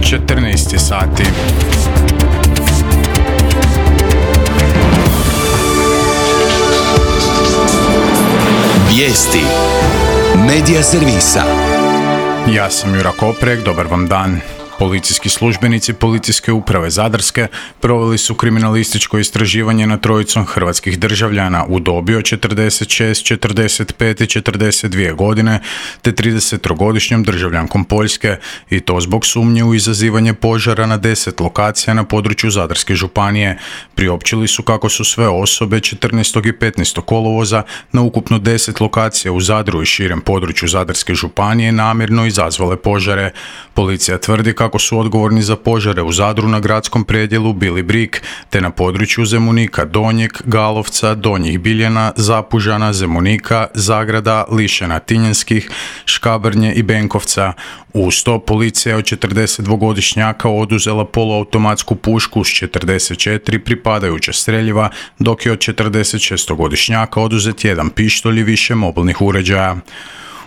14 sati. Vijesti Medija servisa. Ja sam Jura Koprek, dobar vam dan. Policijski službenici Policijske uprave Zadarske proveli su kriminalističko istraživanje nad trojicom hrvatskih državljana u dobi od 46, 45 i 42 godine te 30-godišnjom državljankom Poljske i to zbog sumnje u izazivanje požara na 10 lokacija na području Zadarske županije. Priopćili su kako su sve osobe 14. i 15. kolovoza na ukupno 10 lokacija u Zadru i širem području Zadarske županije namjerno izazvale požare. Policija tvrdi kako su odgovorni za požare u Zadru na gradskom predjelu bili Brik, te na području Zemunika Donjeg, Galovca, Donjih Biljana, Zapužana, Zemunika, Zagrada, Lišena Tinjanskih, Škabrnje i Benkovca. Uz to policija je od 42-godišnjaka oduzela poluautomatsku pušku s 44 pripadajuća streljiva, dok je od 46-godišnjaka oduzet jedan pištolj i više mobilnih uređaja.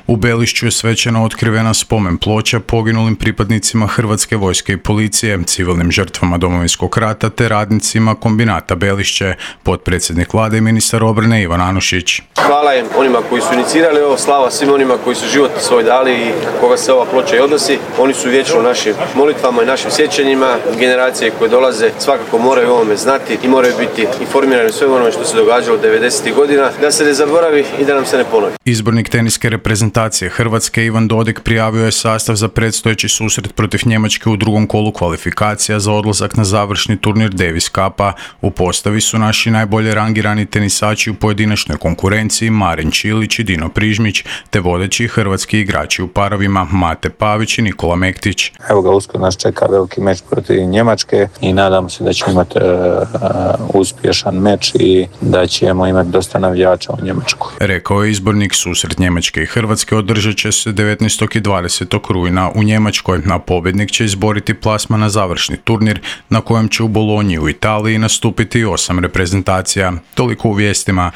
U Belišću je svečano otkrivena spomen ploča poginulim pripadnicima Hrvatske vojske i policije, civilnim žrtvama Domovinskog rata te radnicima kombinata Belišće, potpredsjednik vlade i ministar obrane Ivan Anušić. Hvala im onima koji su inicirali ovo, slava svim onima koji su život svoj dali i koga se ova ploča i odnosi. Oni su vječno u našim molitvama i našim sjećanjima. Generacije koje dolaze svakako moraju o ovome znati i moraju biti informirani o svemu onome što se događalo 90. godina, da se ne zaboravi i da nam se ne ponovi. Izbornik teniske reprezentacije Hrvatske Ivan Dodig prijavio je sastav za predstojeći susret protiv Njemačke u drugom kolu kvalifikacija za odlazak na završni turnir Davis Cupa. U postavi su naši najbolje rangirani tenisači u pojedinačnoj konkurenciji Marin Čilić i Dino Prižmić, te vodeći hrvatski igrači u parovima Mate Pavić i Nikola Mektić. Evo ga, uskoro nas čeka veliki meč protiv Njemačke i nadamo se da ćemo imati uspješan meč i da ćemo imati dosta navijača u Njemačkoj. Rekao je izbornik. Susret Njemačke i Hrvatske održat će se 19. i 20. rujna u Njemačkoj, a pobjednik će izboriti plasman na završni turnir na kojem će u Bolonji u Italiji nastupiti 8 reprezentacija. Toliko u vijestima.